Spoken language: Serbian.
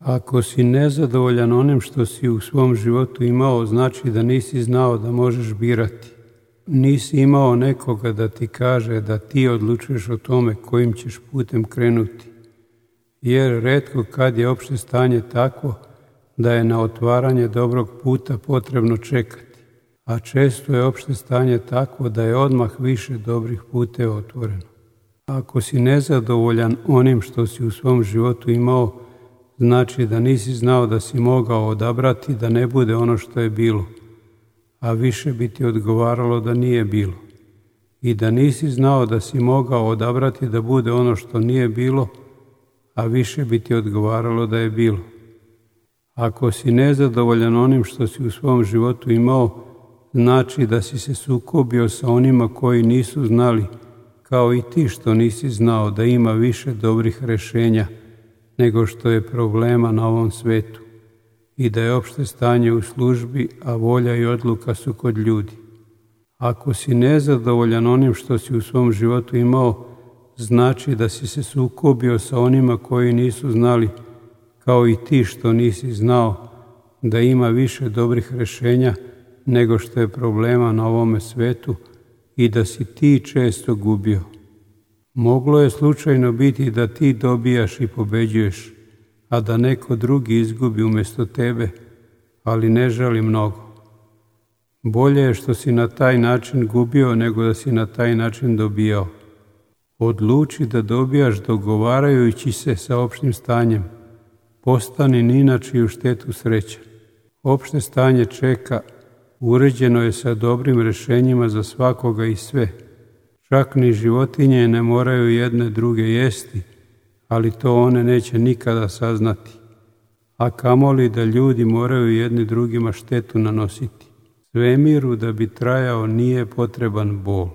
Ako si nezadovoljan onim što si u svom životu imao, znači da nisi znao da možeš birati. Nisi imao nekoga da ti kaže da ti odlučuješ o tome kojim ćeš putem krenuti. Jer retko kad je opšte stanje takvo da je na otvaranje dobrog puta potrebno čekati, a često je opšte stanje takvo da je odmah više dobrih puteva otvoreno. Ako si nezadovoljan onim što si u svom životu imao, znači da nisi znao da si mogao odabrati da ne bude ono što je bilo, a više bi ti odgovaralo da nije bilo. I da nisi znao da si mogao odabrati da bude ono što nije bilo, a više bi ti odgovaralo da je bilo. Ako si nezadovoljan onim što si u svom životu imao, znači da si se sukobio sa onima koji nisu znali, kao i ti što nisi znao da ima više dobrih rešenja nego što je problema na ovom svetu i da je opšte stanje u službi, a volja i odluka su kod ljudi. Ako si nezadovoljan onim što si u svom životu imao, znači da si se sukobio sa onima koji nisu znali, kao i ti što nisi znao da ima više dobrih rešenja nego što je problema na ovome svetu i da si ti često gubio. Moglo je slučajno biti da ti dobijaš i pobeđuješ, a da neko drugi izgubi umjesto tebe, ali ne žali mnogo. Bolje je što si na taj način gubio nego da si na taj način dobijao. Odluči da dobijaš dogovarajući se sa opštim stanjem. Postani ni na čiju štetu srećan. Opšte stanje čeka, uređeno je sa dobrim rešenjima za svakoga i sve. Čak ni životinje ne moraju jedne druge jesti, ali to one neće nikada saznati. A kamoli da ljudi moraju jedni drugima štetu nanositi. Svemiru da bi trajao nije potreban bol.